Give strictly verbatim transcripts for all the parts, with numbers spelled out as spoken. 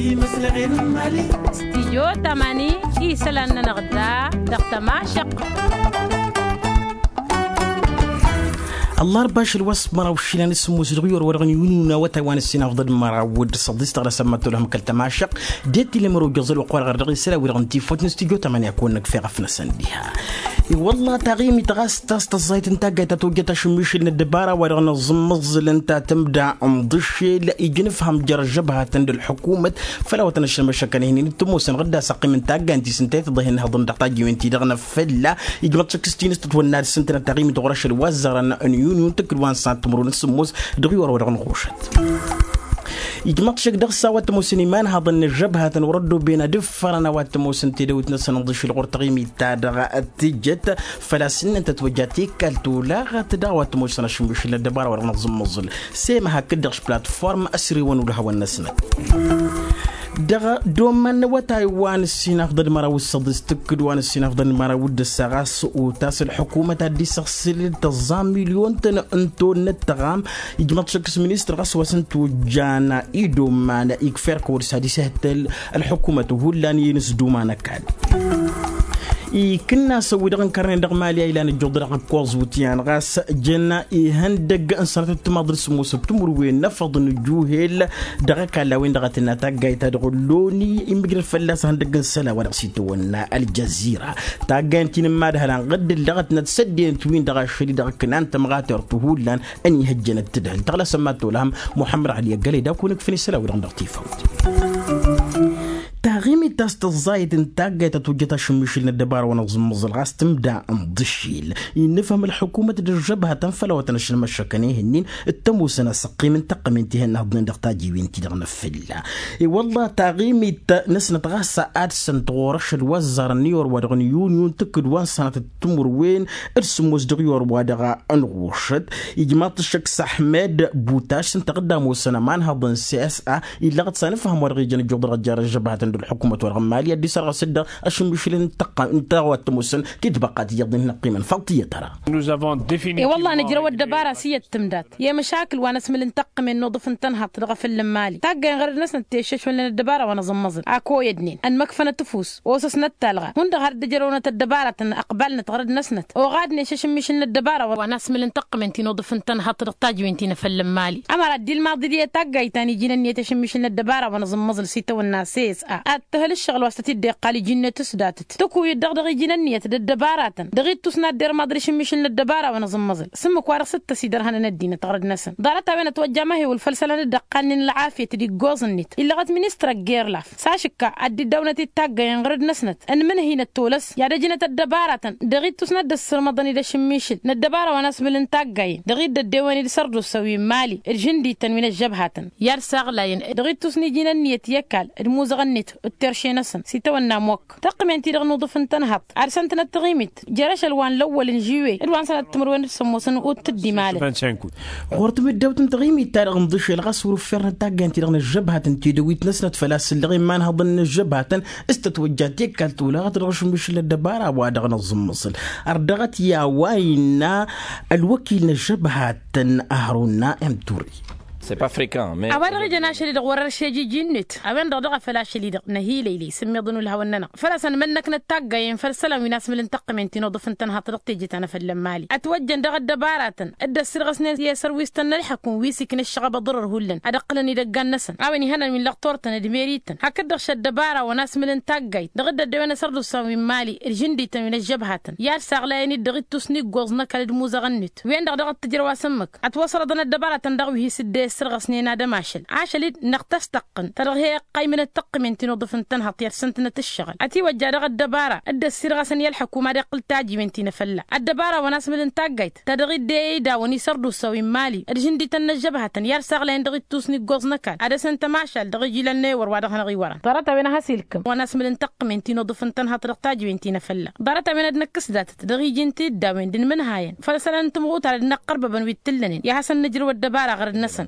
Stijyo tamani isălan-nănăɣ da dăɣ-tămašăq. Ăllarba ašăl wa s-măraw išilan s-sǝmmos dăɣ-iwăr wa dăɣ-nǝyunǝwna awătay wa n-ǝssin afḍăd măraw d-săḍis tăɣla s-ămmătăwăl hăm kăl-tămašăq. Dd-tile mărojăẓăl wa qur-aɣăr dăɣ-isălan wi-dăɣ n-tifot n-stijyo tamani a kăwăn-năkf i-ɣăf-năsăn diha. I-wălla taɣimit ɣas ta s-tăẓẓayt n-taggayt ta tojjăt ašǝmmišǝl n-ăddăbara wa dăɣ-nǝẓǝmmăẓǝl ǝnta tǝmda n-iḍǝššel ija nǝfhăm jer-ăžžăbhatăn d-ălḥukumăt făll-a-wa tăn-ăššălmăššăkăn ihǝnnin d-tămoosăn ɣǝdda s-ăqqim n-taggayt-i s-ǝnta i-tǝḍa ihǝnnǝhăḍ n-dăɣ-tajǝwen-ti-dăɣ n-afălla. Ijmăḍ šăkk s-tinǝstăt wănna ad-ǝssǝntănăt taɣimit ɣur-ašăl wa ăzzarăn n-yuniyun tǝkkǝd wa n-sănat timǝrwen s-sǝmmos dăɣ-iwăr wa dăɣ-nǝɣušăt. Ijmăḍ šăkk dăɣ-s a-wa t-ămoosăn imanhaḍăn n-ăžžăbhatăn wăr-ăddooben ad-ǝffărăn a-wa t-ămoosăn tedăwit-năsăn ǝnḍǝššǝl ɣur-taɣimit ta dăɣ-tǝjjăt făl-a-s ǝnnăn tătwăjja tekalt olaɣăt daɣ a-wa t-ămoosăn ašǝmmišǝl n-ăddăbara wa dăɣ-nǝẓǝmmăẓǝl. Sema hakd-dăɣ š-platform ăsrewăn ulhăwăn-năsnăt. Dăɣ-doman n-awătay wa n-ǝssin afḍăd măraw d-săḍis tǝkkǝd wa n-ǝssin afḍăd măraw d-ǝssa ɣas otas ălḥukumăt ad-dd-isăɣsǝl tăẓẓa milyon-tăn n-tonnăt tăɣam. Ijmăḍ šăkk s-ministăr ɣas wa s-ǝnta ojjan idoman ikfa erk wăr s-ad-isǝhtăl ălḥukumăt hullan i-inǝsduma n-ăkall. Ikǝnnasăn wi-dăɣ ǝnkărnen dăɣ-mali a ilan ǝjjuḍ dăɣ-ăkkoẓ wutyan ɣas jăn ihăndăgg n-sănatăt timaḍ d-sǝmmosăt timǝrwen n-afăḍ n-ǝjjuhel dăɣ-ăkall a-wen-dăɣ a tǝnna taggayt ta dăɣ-ălloni imǝjrăd fălla-s ihăndăgg n-isălan wa dăɣ-s itawănna ăljazzira. Taggayt n-ti n-imadhălan ɣǝddǝl dăɣ-ătnăt s-ăddinăt-win-dăɣ ašăl-i dăɣ-ǝknan tămɣatert hullan ănihăjjănăt tǝdhǝl tăɣlasăn mad-tolhăm. Muḥămmăd ɣali ăggălăy d-akǝwăn-ǝkfăn isălan-wi-dăɣ dăɣ-tifawt. Taɣimit ta s-tăẓẓayăt n-taggayt ta tojjăt ašǝmmišǝl n-ăddăbara wa n-aẓǝmmăẓǝl ɣas tǝmda n-iḍǝššil. Innǝfhăm ălḥukumăt d-ăžžăbhatăn făll-a-wa tăn-ašălmăššăkăn ihǝnnin t-ămoosăn asăqqim n-taqqǝment ihănnăhăḍnen dăɣ-tajiwen-ti-dăɣ n-afǝlla. I-wălla taɣimit-năsnăt ɣas ad-săn-tɣur ašăl wa ăzzarăn n-iwăr wa dăɣ-nǝyunyun tǝkkǝd wa n-sănatăt timǝrwen d-sǝmmos dăɣ-iwăr wa dăɣ-nǝɣušăt. Ijmaḍ-t ăššăk s-ahmed butaš s-ǝnta ɣǝdda ămoosăn ămanhăḍ n-sesa illăɣăt s-anǝfhăm wa dăɣ-ijăn ǝjjuḍ dăɣ-ăjjar ăžžăbhatăn d-ălḥukumăt wa dăɣ-n mali ad-dd-isărɣǝs dd-ašǝmmišǝl n-tăɣwa t-ămoosăn tidbăqqa tiyyăḍ n-inăqqimăn faḍt iyyăt ara. I-wălla nǝjrăw ăddăbara s-iyyăt tǝmdat i-măšakǝl wa n-asmǝl n-taqqǝmen n-uḍǝf n-tănhaḍt dăɣ-afăl n-imali taggayăn ɣărăd-năsnăt teša-šwălnen ăddăbara wa n-aẓǝmmăẓǝl ak oyădnen ănmăkfănăt ăfuss osăsnăt talɣa hundăɣ har dd-ăjrăwnăt ăddăbaratăn ăqbalnăt ɣărăd-năsnăt oɣadnen šăšǝmmišǝl n-ăddăbara wa n-asmǝl n-taqqǝmen ti n-uḍǝf n-tănhaḍt dăɣ-tajǝwen ti n-afăl n-imali ămăra dd-ilmaḍ-dd i-taggayt ta n-iji n-ǝnniyăt ašǝmmišǝl n-ăddăbara wa n-aẓǝmmăẓǝl s-itawănna s-s a ad-tǝhǝl ǝššăɣǝl wa s-tăt-dd-iqqal iji-net s-datăt tǝkuyǝd-dăɣ dăɣ-iji n-ǝnniyăt d-ăddăbaratăn dăɣ-ittus n-ad-dd-irmaḍ d-ašǝmmišǝl n-ăddăbara wa n-aẓǝmmăẓǝl s-ǝmmǝk wa dăɣ-s dd-tăsidărhănăn ăddinăt ɣărăd-năsăn ḍarăt-a-wen ătwăjja amăhewǝl făll-isălan dd-ăqqalnen ălɣafyăt d-iggoẓ-net illăɣăt ministăr ăgg-irlaf s-ašǝkka ad-dd-ǝddawnăt-dd taggayen ɣărăd-năsnăt ănmǝnhăynăt tolăs i-ad-ăjnăt ăddăbaratăn dăɣ-ittus n-ad-dd-ăssărmăḍăn-dd ašǝmmišǝl n-ăddăbara wa n-asmǝl n-taggayen dăɣ-dd-ăddewăn-dd sărdusa wi n-mali d-žǝndităn wi n-ăžžăbhatăn i-ad-saɣlayăn dăɣ-ittus n-iji n-ǝnniyăt i-ăkall d-imuzăɣăn-net d-terše-năsăn s-itawănna ămmok tăqqǝmen-ti-dăɣ n-uḍǝf n-tănhaḍt ad-săn-tănăt taɣimit jer-ašăl wa n-lăwwăl n-žiwe d-wa n-sănăt timǝrwen d-sămmosăn u-t dd-imalăn. Ɣur-tamǝddawt n-taɣimit-ta-dăɣ n-iḍǝšel ɣas wăr-ǝffernăt taggayăn-ti-dăɣ n-ăžžăbhatăn tidăwit-năsnăt făl-a-s ǝlleɣ imanhăḍăn n-ăžžăbhatăn s-tătwăjja tekalt olaɣăt dăɣ-ašǝmmišǝl n-ăddăbara wa dăɣ-nǝẓǝmmăẓǝl. Ărdăɣăt i-a-wa innă ălwăkil n-ăžžăbhatăn ăhronna m-turăy. A-wa dăɣ-ijăn ašăl-i-dăɣ wăr-ăršej iji-net a-wen-dăɣ dăɣ-afăl ašăl-i-dăɣ năhilăylăy s-ǝmmiḍăn ulhawăn-nănăɣ făl-a-s ănmănnăknăt taggayen făll-isălan wi n-asmǝl n-taqqǝmen ti n-uḍǝf n-tănhaḍt dăɣ-teje ta n-afăl n-mali ătwăjjăn dăɣ-ăddăbaratăn dd-ăssirɣăsnen i-sărwistăn n-ălḥăkum wi s-ikna ǝššăɣăb aḍǝrăr hullan ad-ǝqqǝlăn idăggan-năsăn a-wen ihănan wi n-lăɣ turtăn d-merităn hakd-dăɣ šăddăbara wa n-asmǝl n-taggayt dăɣ-dd-ăddewen asărdusan wi n-mali d-žǝndităn wi n-ăžžăbhatăn i-ad-saɣlayăn-dd dăɣ-ittus n-iggoẓ n-ăkall d-imuzăɣăn-net wen-dăɣ dăɣ-t tǝjrăw asǝmmǝk ătwăsrăḍăn ăddăbaratăn dăɣ-wi hi-s dd-e-ǝssărɣăsnen ad-ămašăl ašăl-dd năɣ tăstăqqǝn ta dăɣ-he-ăqqaymǝnăt tăqqǝmen ti n-uḍǝf n-tănhăḍt i-ad-săn-tǝnăt ǝššăɣǝl ătiwăjja dăɣ-ăddăbara dd-ăssirɣăsăn i-ălḥăkum ad-iqqǝl tajiwen ti n-afălla ăddăbara wa n-asmǝl n-taggayt ta dăɣ-dd-e-idawăn isărdusa wi n-mali d-žǝndităn n-ăžžăbhătăn i-ad-saɣlayăn dăɣ-ittus n-iggoẓ n-ăkall ad-dăr-săn tămašal dăɣ-iji lănnăyăwăr wa dăɣ-hanăɣ-iwărăn ḍarăt-a-wen a has-ilkǝm wa n-asmǝl n-taqqǝmen ti n-uḍǝf n-tănhăḍt dăɣ-tajiwen ti n-afălla ḍarăt-a-wen ad-năkkăs datăt dăɣ-iji n-tiddawen d-inmǝnhayăn făll-isălan n-timɣutar d-inăqqărbăbăn wi t-tǝllănen i-ad-hasăn-nǝjrǝw ăddăbara ɣărăd-năsăn.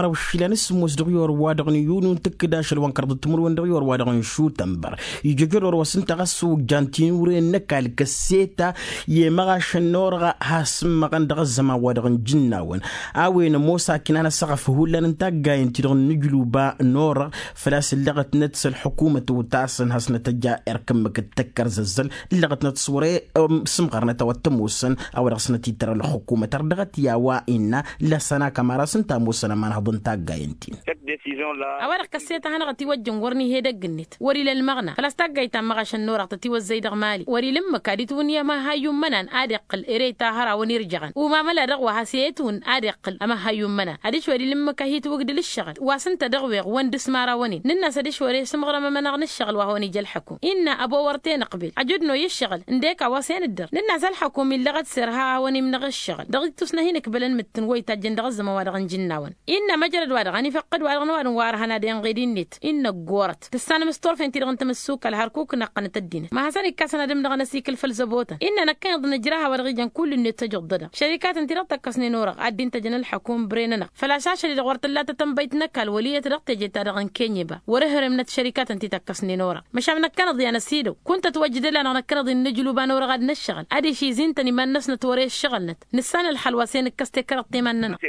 măraw išilan s-sǝmmos dăɣ-i orwa dăɣ-nǝyyunu n-tǝkkǝd ašăl wa n-kărḍăt timǝrwen dăɣ-i orwa dăɣ-nǝšutănbăr. Ijăjăd orwa s-ǝnta ɣas ojjan tinǝwre n-ăkall kăsseta i-măɣašăn n-orăɣ. Has-ǝmmăɣăn dăɣ-ăzzăman wa dăɣ-nǝjǝnnawăn a-wen ămoos akin a năsăɣăf hullan n-taggayen-ti-dăɣ n-inǝjluba n-orăɣ. Făl-a-s ǝllăɣătnet s-ălḥukumăt otasăn hasnăt ăja erk ǝmmǝk d-tăkkărzăzzăl ǝllăɣătnet s-wăr-e. Sǝmɣărnăt a-wa t-ămoosăn a-wa dăɣ-s nătittăr ălxukumăt ărdăɣăt i-a-wa innă lăsăn akămar a-s ǝnta a ămoosăn ămanhăḍ n-taggayen-tin. A-wa-dăɣ kăsset a hanăɣ-ătiwăjjăn wăr n-ih'-e edăgg-net wăr-ila ălmăɣna făl-a-s taggayt ta n-imăɣašăn n-orăɣ tătiwăzzăy dăɣ-mali wăr-ila ǝmmǝk ad-itwǝnnǝy amăhayyu n-imănan ad-iqqǝl ere ta hărawăn irjăɣăn umamăla-dăɣ wa has-e-itwǝnn ad-iqqǝl amăhayyu n-imănan adiš wăr-ila ǝmmǝk a hi-itwǝgdǝl ǝššăɣǝl wa s-ǝnta dăɣ-weɣ wăn dd-s imărawăn-in nǝnn'-as adiš wăr-e sǝmɣărăm amănăɣ n-ǝššăɣǝl wa hawăn-ija ălḥăkum innă ăbo wăr t-e-nǝqbel ajud n-oy ǝššăɣǝl ǝndek a-wa s-e-nǝddăr nǝnn'-as ălḥăkum illăɣăt s-irha a hawăn-imnăɣ ǝššăɣǝl dăɣ-ittus n-ad-hin-ǝkbălăn imǝttǝn wa itajjăn dăɣ-ăzzăman wa dăɣ-nǝjǝnnawăn. Innă măjrăd-wa-dăɣ ănifăqqǝd-wa-dăɣ n-ăwadǝm wa ărhăn ad-inɣed-net innă ăggoorăt tǝssanăm s-turfen-ti-dăɣ n-tamǝssukal hărkuk n-aqqănăt ăddinăt ma hasăn-ikkasăn ad-ǝmnăɣăn ăsikǝl făll-zăbotăn innă năkkăneḍ nǝjrah a-wa dăɣ-ijăn kull-net tăj-ǝḍḍădăɣ šărikatăn-ti-dăɣ tăkkăsnen orăɣ ad-dd-intăjăn ălḥăkum bren-anăɣ făl-a-s ašăl-i-dăɣ wăr t-tǝlla tatănbăyt n-ăkall wăl' iyyăt dăɣ-teje-ta-dăɣ n-kenye ba wăr-ăhremnăt šărikatăn ti tăkkăsnen orăɣ. Măšan năkkăneḍ i-anăsidăw kunta ătwăjjăd ăla-năɣ năkkăneḍ-i n-inǝjluba n-orăɣ ad-năššăɣǝl adiš izi ǝntăn iman-năsnăt wăr-e ǝššăɣǝlnăt nǝssan ălxăl wa s-e-nǝkkăs tekăreḍt i-iman-nănăɣ.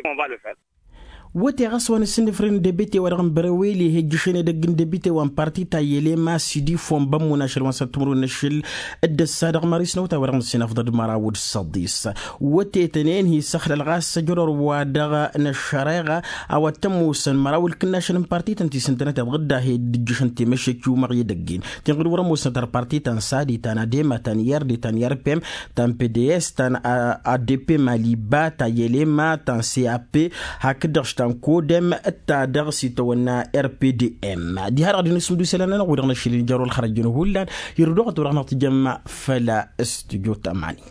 Wăte ɣas wa n-ǝssǝnnǝfrǝn debite wa dăɣ-n bărăweli he-ǝjjǝšăn edăgg n-debite wa n-parti ta i-elema sidi fon bămmun ašăl wa n-săr timǝrwen n-ašăl dd-ăssa dăɣ-mări s-năwta wa dăɣ-nǝssinăfḍăd măraw d-săḍis. Wătetăn enhi s-ăxlăl ɣas ăjrăr wa dăɣ-năššăreɣa a-wa t-ămoosăn măraw ǝlkǝnnašăn n-parti-tăn ti s-ǝntănăt iḍɣǝd a he-dd-ǝjjǝšăn temăššek i-umăɣ i-edăgg-in tinɣǝd wăr-ămoosnăt ărparti ta n-sadi ta n-adema ta n-ird ta n-irpem ta n-pds ta n-adp maliba ta n-elema ta n-cap hakd-dăɣ ta n-kodem d-ta-dăɣ s-itawănna rpdm. Diha-dăɣ dinǝsǝmdu isălan-nănăɣ wi-dăɣ n-ašăl injăr wăla ălxărăjăn hullan. Irduɣăt wa dăɣ-năɣ tǝjăm făll-stujo tamani.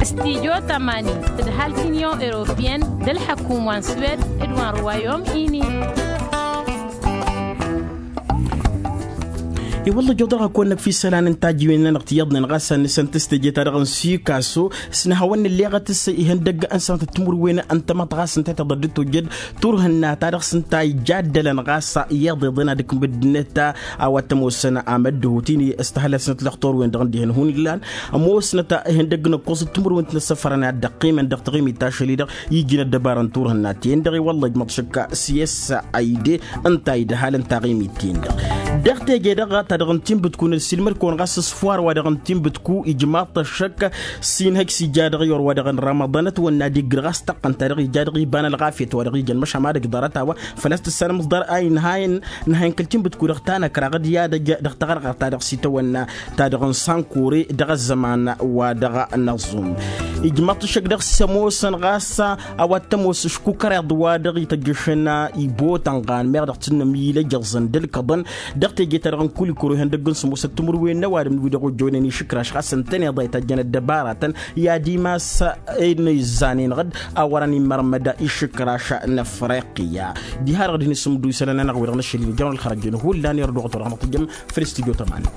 Stujo tamani d-ăhalk union europeyăn d-ălḥăkum wa n-swed d-wa n-ruwayom ini. I-wălla ǝjjoḍ dăɣ-hak-wăn-năkf isălan n-tajǝwen-nănăɣ tiyyăḍnen ɣas ad-nǝsăn tǝstăje-ta-dăɣ n-sikaso s-nǝhawăn-nǝlleɣăt s-ihăndăgg n-sănatăt timǝrwen n-tamăḍt ɣas ǝnta tiḍăd d-tojjăd turhǝnna-ta-dăɣ s-ǝnta ija ăddălăn ɣas iyyăḍ iḍen ad-ǝkmǝd-net. A-wa t-ămoosăn amăddǝhut-in s-tihălăt-snăt lăxtur-wen-dăɣ n-dihen hun illan ămoosnăt ihăndăgg n-ǝkkoẓăt timǝrwen ti n-ăssăfărăn ad-dd-ăqqimăn dăɣ-taɣimit ta ašăl-i-dăɣ iji n-ăddăbarăn turhǝnna-ten-dăɣ i-wălla ijmăḍ šăkk s-e-s a ide ǝnta idhal n-taɣimit-ten-dăɣ. Dăɣ-teje-dăɣ ta dăɣ-n tinbǝtku n-ăssiilmăd-kăwăn ɣas s-far wa dăɣ-n tinbǝtku ijmaḍ-t ăššăk s-inhăj s-ija dăɣ-i or wa dăɣ-n ramaḍan ătwănna d-iggǝr ɣas taqqăn ta dăɣ-ija dăɣ-iba n-ălɣafyăt wa dăɣ-ijăn măšan ma dăgg-ḍarăt a-wa făl-a-s tǝssanăm s-ḍar a inhayăn. Nǝhayăn kăl-tinbǝtku dăɣ-tanăkraɣ d-i-ad-ăj dăɣ-taɣărɣărt ta dăɣ-s itawănna ta dăɣ-nǝsankure dăɣ-ăzzăman wa dăɣ-năẓum. Ijmăḍ-t ăššăk dăɣ-s ămoosăn ɣas a-wa t-ămoos ǝškukăreḍ wa dăɣ-ităjjăšăn ibotănɣan meɣ dăɣ-tǝnnăm ilăjăẓăn d-ǝlkăḍăn dăɣ-teje-ta-dăɣ n-kulikuro ihăndăgg n-sǝmmosăt timǝrwen n-ăwadǝm wi-dăɣ ojjoynen išǝkraš ɣas ǝntăneḍ a itajjăn ăddăbaratăn i-ad-imas. Ănizzanen ɣǝd a wărăn immărmăd išǝkraš n-afriqya. Diha-dăɣ dinǝsǝmdu isălan-nănăɣ wi-dăɣ n-ašăl-in ijănăɣ ălxărăjăn hullan irduɣăt wa dăɣ-năɣ tǝjjăm făll-stujo tamani.